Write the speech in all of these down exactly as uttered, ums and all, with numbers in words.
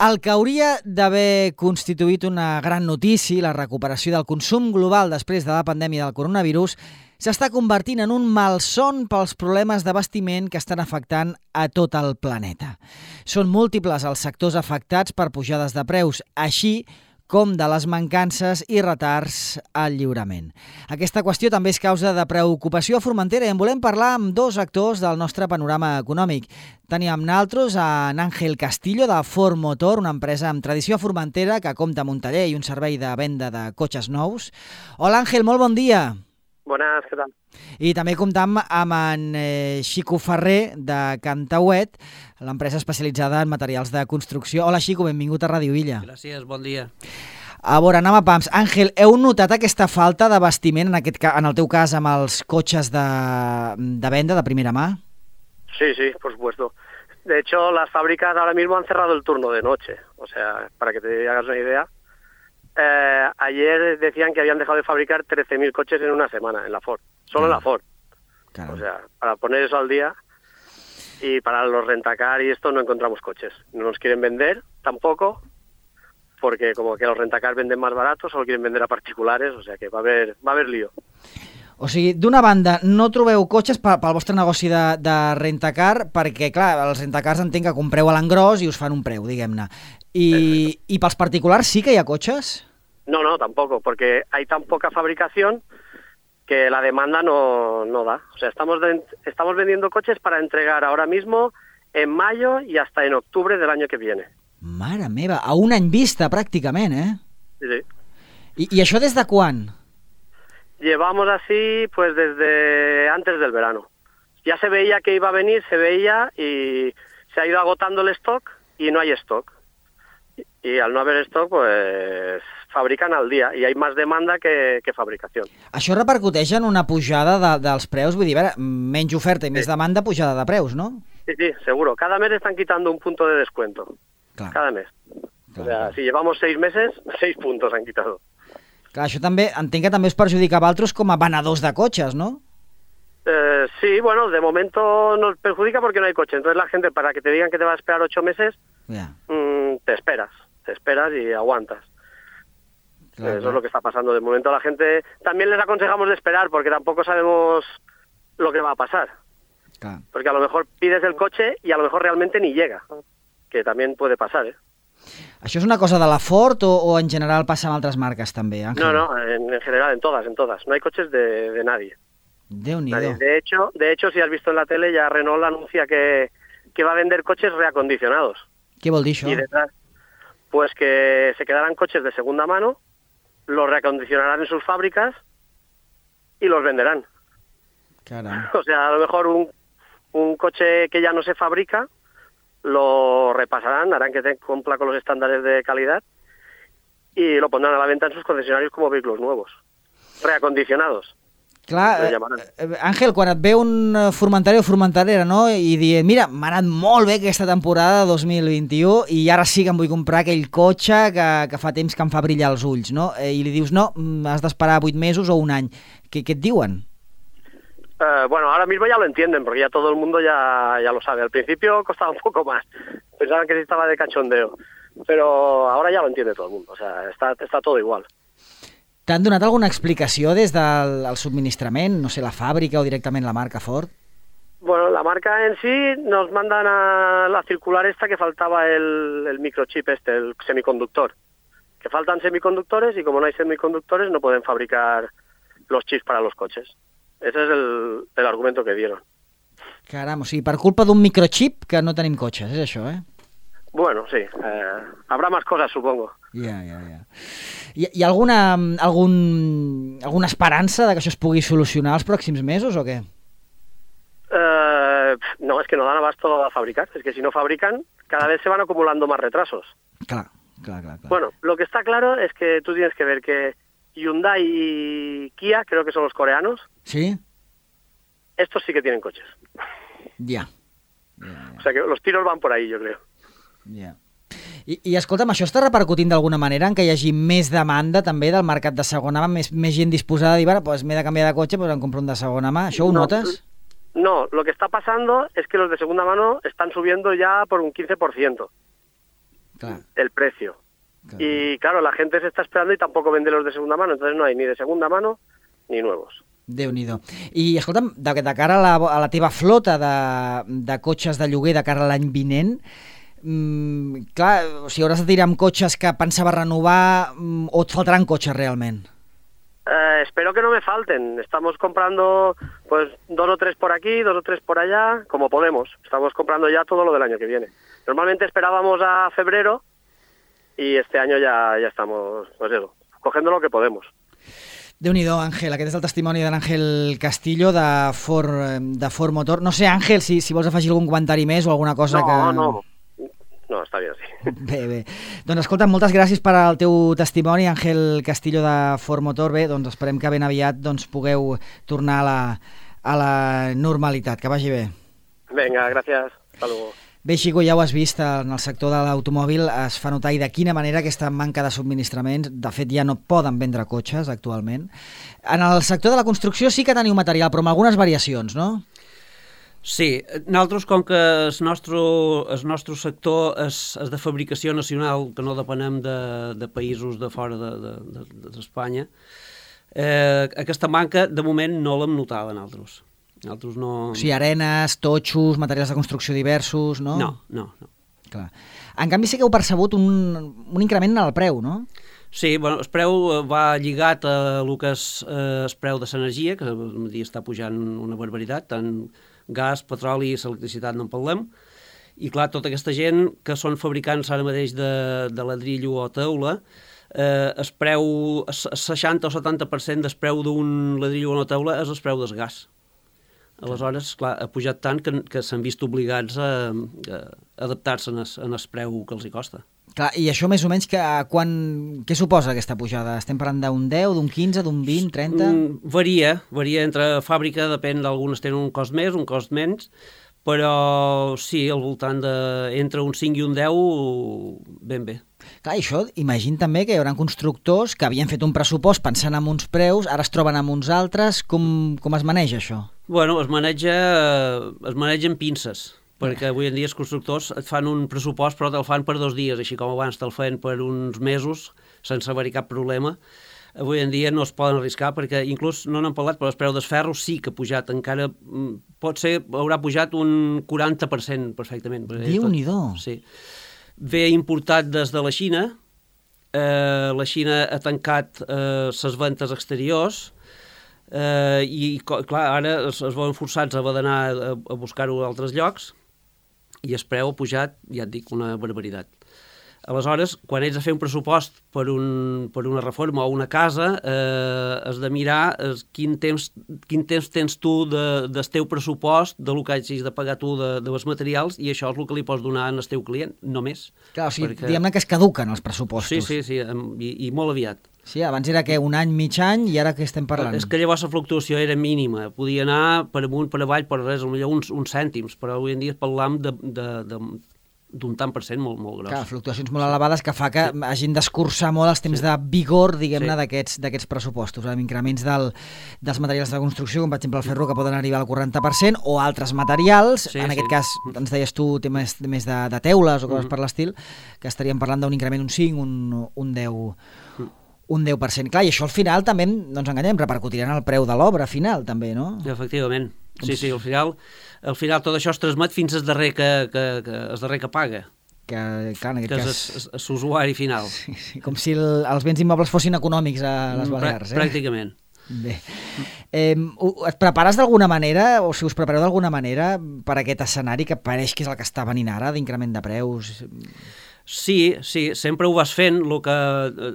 El que hauria d'haver constituït una gran notícia, la recuperació del consum global després de la pandèmia del coronavirus, s'està convertint en un malson pels problemes d'abastiment que estan afectant a tot el planeta. Són múltiples els sectors afectats per pujades de preus, així com de les mancances i retards al lliurament. Aquesta qüestió també és causa de preocupació a Formentera i en volem parlar amb dos actors del nostre panorama econòmic. Tenim amb nosaltres en Ángel Castillo de Ford Motor, una empresa amb tradició a Formentera que compta amb un taller i un servei de venda de cotxes nous. Hola Ángel, molt bon dia. Bones, què tal? I també comptam amb en eh, Xico Ferrer de Cantauet, l'empresa especialitzada en materials de construcció. Hola Xico, benvingut a Ràdio Illa. Gràcies, bon dia. A veure, anem a pams. Àngel, heu notat aquesta falta d'abastiment, en, aquest, en el teu cas, amb els cotxes de, de venda de primera mà? Sí, sí, por supuesto. De hecho, las fábricas ahora mismo han cerrado el turno de noche. O sea, para que te hagas una idea, eh, ayer decían que habían dejado de fabricar trece mil coches en una semana en la Ford. Solo claro. En la Ford. Claro. O sea, para poner eso al día, y para los rentacar y esto no encontramos coches. No nos quieren vender tampoco, porque como que los rentacar venden más baratos, solo quieren vender a particulares, o sea que va a haber, va a haber lío. O sigui, d'una banda, no trobeu cotxes pel, pel vostre negoci de, de rentacar, perquè, clar, els rentacars entenc que compreu a l'engròs i us fan un preu, diguem-ne. I, I pels particulars sí que hi ha cotxes? No, no, tampoco, porque hay tan poca fabricación que la demanda no, no da. O sea, estamos, de, estamos vendiendo coches para entregar ahora mismo en mayo y hasta en octubre del año que viene. Mare meva, a un any vista, pràcticament, eh? Sí, sí. I, i això des de quan? Llevamos así pues desde antes del verano. Ya se veía que iba a venir, se veía y se ha ido agotando el stock y no hay stock. Y al no haber stock, pues fabrican al día y hay más demanda que, que fabricación. Això repercuteix en una pujada de, dels preus? Vull dir, veure, menys oferta i sí. Més demanda, pujada de preus, no? Sí, sí, seguro. Cada mes están quitando un punto de descuento. Clar. Cada mes. Clar, o sea, clar. Si llevamos seis meses, seis puntos han quitado. Clar, això també, entenc que també us perjudica a vosaltres com a venedors de cotxes, ¿no? Eh, sí, bueno, de momento nos perjudica porque no hay coche. Entonces la gente, para que te digan que te va a esperar ocho meses, yeah. mmm, te esperas, te esperas y aguantas. Claro, Eso claro. es lo que está pasando. De momento la gente, también les aconsejamos de esperar porque tampoco sabemos lo que va a pasar. Claro. Porque a lo mejor pides el coche y a lo mejor realmente ni llega, que también puede pasar, ¿eh? ¿Això és una cosa de la Ford o, o en general passa amb altres marques també, Ángel? No, no, en, en general, en todas, en todas. No hay coches de, de nadie. Déu-n'hi-do. Nadie. De hecho, de hecho, si has visto en la tele, ya Renault anuncia que, que va a vender coches reacondicionados. Què vol dir això? Y detrás, pues que se quedarán coches de segunda mano, los reacondicionarán en sus fábricas y los venderán. Caram. O sea, a lo mejor un, un coche que ya no se fabrica, lo repasarán, harán que te cumpla con los estándares de calidad y lo pondrán a la venta en sus concesionarios como vehículos nuevos, reacondicionados. Clar, Àngel, quan et ve un formentari o formentarera, no?, i diuen, mira, m'ha anat molt bé aquesta temporada dos mil vint-i-u i ara sí que em vull comprar aquell cotxe que, que fa temps que em fa brillar els ulls, no?, i li dius, no, has d'esperar vuit mesos o un any. Què, què et diuen? Uh, bueno, ahora mismo ya lo entienden, porque ya todo el mundo ya, ya lo sabe. Al principio costaba un poco más, pensaban que sí estaba de cachondeo, pero ahora ya lo entiende todo el mundo, o sea, está, está todo igual. T'han donat alguna explicació des del subministrament, no sé, la fàbrica o directament la marca Ford? Bueno, la marca en sí nos mandan a la circular esta que faltaba el, el microchip este, el semiconductor, que faltan semiconductores y como no hay semiconductores no pueden fabricar los chips para los coches. Ese es el, el argumento que dieron. Caram, o sigui, per culpa d'un microchip que no tenim cotxes, és això, eh? Bueno, sí. Eh, habrá más cosas, supongo. Ja, ja, ja. Hi, hi ha alguna, algun, alguna esperança de que això es pugui solucionar els pròxims mesos o què? Eh, no, es que no dan abasto a fabricar. Es que si no fabrican, cada vez se van acumulando más retrasos. Clar, clar, clar, clar. Bueno, lo que está claro es que tú tienes que ver que Hyundai y Kia, creo que son los coreanos. ¿Sí? Estos sí que tienen coches. Ya. Yeah. Yeah, yeah. O sea que los tiros van por ahí, yo creo. Ya. Yeah. I, I escolta'm, això està repercutint d'alguna manera en que hi hagi més demanda també del mercat de segona mà, més, més gent disposada a dir, bueno, pues m'he de canviar de cotxe, pues em compro un de segona mà. ¿Això ho no, notes? No, lo que está pasando es que los de segunda mano están subiendo ya por un quince por ciento. Claro. el precio. Claro. Y claro, la gente se está esperando y tampoco vende los de segunda mano, entonces no hay ni de segunda mano ni nuevos. Déu-n'hi-do. I, escolta'm, de, de cara a la, a la teva flota de, de cotxes de lloguer de cara a l'any vinent, mmm, clar, o sigui, hauràs de tirar amb cotxes que pensava renovar mmm, o et faltaran cotxes realment? Eh, espero que no me falten. Estamos comprando pues dos o tres por aquí, dos o tres por allá, como podemos. Estamos comprando ya todo lo del año que viene. Normalmente esperábamos a febrero y este año ya, ya estamos, pues eso, cogiendo lo que podemos. Déu-n'hi-do, Àngel. Aquest és el testimoni de l'Àngel Castillo de Ford, de Ford Motor. No sé, Àngel, si, si vols afegir algun comentari més o alguna cosa no, que... No, no. No, està bé, sí. Bé, bé. Doncs escolta, moltes gràcies per al teu testimoni, Àngel Castillo de Ford Motor. Bé, doncs esperem que ben aviat doncs, pugueu tornar a la, a la normalitat. Que vagi bé. Vinga, gràcies. Hasta luego. Bé, Xico, ja ho has vist, en el sector de l'automòbil es fa notar i de quina manera aquesta manca de subministraments, de fet ja no poden vendre cotxes actualment. En el sector de la construcció sí que teniu material, però amb algunes variacions, no? Sí, nosaltres com que el nostre, el nostre sector és, és de fabricació nacional, que no depenem de, de països de fora d'Espanya, de, de, eh, aquesta manca de moment no l'hem notada nosaltres. Nosaltres no... O sigui, arenes, totxos, materials de construcció diversos, no? No, no, no. Clar. En canvi sí que heu percebut un, un increment en el preu, no? Sí, bueno, el preu va lligat a el que és eh, el preu de l'energia, que dia està pujant una barbaritat, tant gas, petroli i electricitat no en parlem, i clar, tota aquesta gent que són fabricants ara mateix de, de ladrillo o teula, eh, el preu, el seixanta o setanta per cent del preu d'un ladrillo o una teula és el preu del gas. Aleshores, clar, ha pujat tant que, que s'han vist obligats a, a adaptar-se en, en el preu que els hi costa. Clar, i això més o menys que, quan, què suposa aquesta pujada? Estem parlant d'un deu, d'un quinze, d'un vint, trenta? Mm, varia, varia entre fàbrica, depèn, d'algunes tenen un cost més, un cost menys, però sí, al voltant de entre un cinc i un deu, ben bé. Clar, i això, imagina també que hi haurà constructors que havien fet un pressupost pensant en uns preus, ara es troben amb uns altres, com, com es maneja això? Bueno, es maneja, es maneja amb pinces, perquè avui en dia els constructors et fan un pressupost però te'l fan per dos dies, així com abans te'l feien per uns mesos sense haver-hi cap problema. Avui en dia no es poden arriscar perquè inclús no n'hem parlat, però el preu del ferro sí que ha pujat, encara pot ser, haurà pujat un quaranta per cent perfectament. Déu-n'hi-do! Sí. Ve importat des de la Xina, eh, la Xina ha tancat eh, les ventes exteriors, eh, i clar, ara es, es veuen forçats a haver d'anar a, a buscar-ho a altres llocs, i el preu ha pujat, ja et dic, una barbaritat. Aleshores, quan ets a fer un pressupost per, un, per una reforma o una casa, eh, has de mirar eh, quin, temps, quin temps tens tu de, del teu pressupost, de lo que hagis de pagar tu de, de els materials, i això és el que li pots donar al teu client, només. Clar, o sigui, perquè... diguem-ne que es caduquen els pressupostos. Sí, sí, sí, i, i molt aviat. Sí, abans era que un any, mig any, i ara què estem parlant? És que llavors la fluctuació era mínima, podia anar per amunt, per avall, per res, potser uns, uns cèntims, però avui en dia parlam de, de, de, d'un tant per cent molt, molt gros. Clar, fluctuacions molt elevades que fa que sí. hagin d'escurçar molt els temps sí. de vigor, diguem-ne, sí. d'aquests pressupostos, amb increments del, dels materials de construcció, com per exemple el ferro, que poden arribar al quaranta per cent, o altres materials, sí, en aquest sí. cas, ens deies tu, temes més de, de teules o coses mm-hmm. per l'estil, que estaríem parlant d'un increment un cinc, un, un deu... un deu per cent. Clar, i això al final també, no ens enganyem, repercutirà en el preu de l'obra final, també, no? Efectivament. Sí, sí, al final, al final tot això es transmet fins al darrer que, que, que, el darrer que paga. Que, clar, en aquest que cas... és l'usuari final. Sí, sí, com si el, els béns immobles fossin econòmics a les Balears. Eh? Pràcticament. Bé. Eh, et prepares d'alguna manera, o si us prepareu d'alguna manera per aquest escenari que pareix que és el que està venint ara, d'increment de preus? Sí, sí, sempre ho vas fent, el que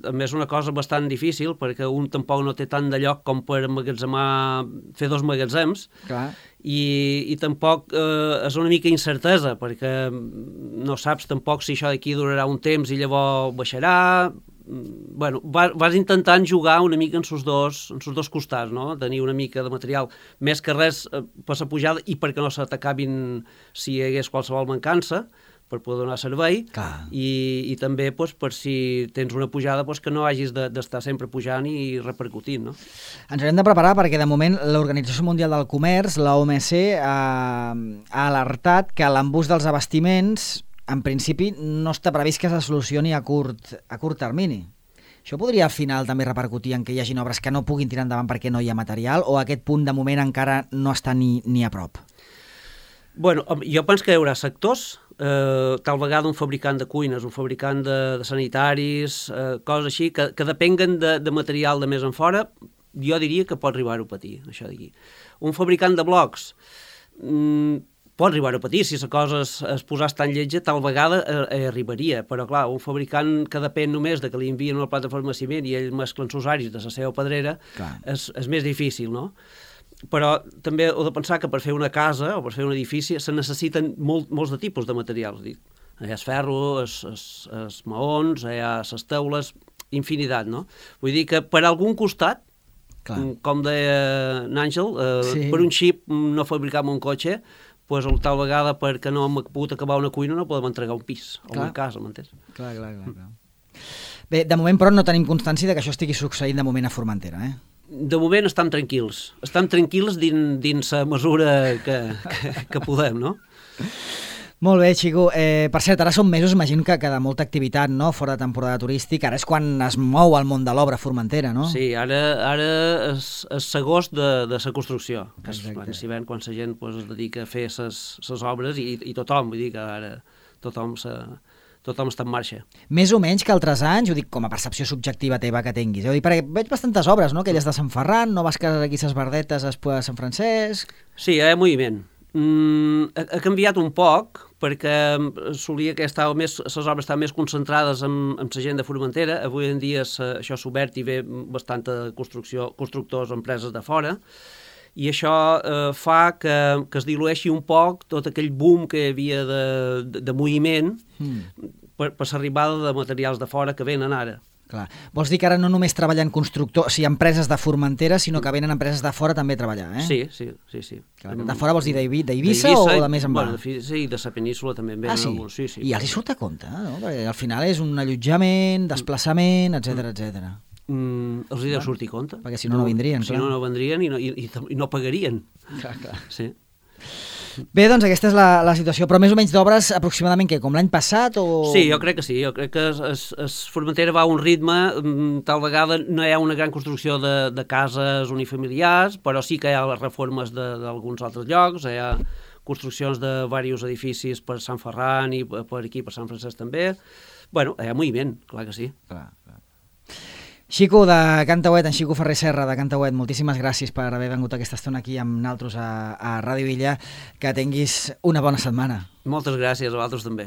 també és una cosa bastant difícil, perquè un tampoc no té tant de lloc com per emmagatzemar, fer dos magatzems, clar. I, i tampoc eh, és una mica incertesa, perquè no saps tampoc si això d'aquí durarà un temps i llavors baixarà. Bueno, vas intentant jugar una mica en sos dos, en sos dos costats, no? Tenir una mica de material, més que res eh, per la pujada i perquè no se t'acabin si hi hagués qualsevol mancança, per poder donar servei, i, i també doncs, per si tens una pujada doncs, que no hagis d'estar de, sempre pujant i repercutint. No? Ens haurem de preparar perquè de moment l'Organització Mundial del Comerç, la O M C, ha, ha alertat que l'embús dels abastiments en principi no està previst que se solucioni a curt, a curt termini. Això podria al final també repercutir en que hi hagi obres que no puguin tirar endavant perquè no hi ha material, o aquest punt de moment encara no està ni, ni a prop? Bueno, jo penso que hi haurà sectors, eh, tal vegada un fabricant de cuines, un fabricant de, de sanitaris, eh, coses així, que, que depenguen de, de material de més en fora, jo diria que pot arribar-ho a patir, això d'aquí. Un fabricant de blocs mmm, pot arribar a patir, si la cosa es, es posàs tan lletja, tal vegada eh, arribaria, però clar, un fabricant que depèn només de que li envien una plataforma de ciment i ell mescla els usuaris de la seva pedrera, és, és més difícil, no? Però també heu de pensar que per fer una casa o per fer un edifici se necessiten molt, molts de tipus de materials. Hi ha el ferro, els maons, hi ha les teules, infinitat, no? Vull dir que per algun costat, clar, com deia n'Àngel, eh, sí. per un xip no fabricam un cotxe, pues, tal vegada perquè no hem pogut acabar una cuina no podem entregar un pis o una casa, m'entens? Clar, clar, clar, clar. Bé, de moment però no tenim constància de que això estigui succeint de moment a Formentera, eh? De moment estem tranquils. Estem tranquils dins, dins la mesura que, que, que podem, no? Molt bé, Xico. Eh, per cert, ara són mesos, imagino que, que de molta activitat, no?, fora de temporada turística. Ara és quan es mou el món de l'obra a Formentera, no? Sí, ara, ara és, és l'agost de, de la construcció. Que és quan, si ven, quan la gent pues, es dedica a fer les obres i, i tothom, vull dir que ara tothom se... tothom està en marxa. Més o menys que altres anys, ho dic com a percepció subjectiva teva que tinguis, eh? Perquè veig bastantes obres, no?, aquelles de Sant Ferran, no vas que aquí ses Verdetes, després de Sant Francesc... Sí, hi ha moviment. Mm, ha, ha canviat un poc, perquè solia que estava més, les obres estaven més concentrades en, en la gent de Formentera. Avui en dia sa, això s'ha obert i ve bastanta construcció, constructors o empreses de fora, i això eh, fa que, que es dilueixi un poc tot aquell boom que hi havia de, de, de moviment mm. per, per l'arribada de materials de fora que venen ara. Clar. Vols dir que ara no només treballen constructors, o sigui, empreses de Formentera, sinó que venen empreses de fora també a treballar, eh? Sí, sí, sí. sí. Clar, de fora vols dir d'Eivissa o de més en bas? Bueno, sí, de la península també en venen ah, sí? alguns. Sí, sí. I els hi surt a compte, no? Perquè al final és un allotjament, desplaçament, etcètera, etcètera. Mm, els hi deu sortir compte. Perquè si no, no vindrien, si clar. Si no, no vendrien i no, i, i no pagarien. Clar, clar. Sí. Bé, doncs aquesta és la, la situació, però més o menys d'obres aproximadament què, com l'any passat o...? Sí, jo crec que sí, jo crec que es, es, es Formentera va a un ritme, tal vegada no hi ha una gran construcció de, de cases unifamiliars, però sí que hi ha les reformes d'alguns altres llocs, hi ha construccions de diversos edificis per Sant Ferran i per aquí, per Sant Francesc també. Bueno, hi ha moviment, clar que sí. Clar, clar. Xico de Cantauet, en Xico Ferrer Serra de Cantauet, moltíssimes gràcies per haver vengut aquesta estona aquí amb naltros a, a Ràdio Illa. Que tinguis una bona setmana. Moltes gràcies, a vosaltres també.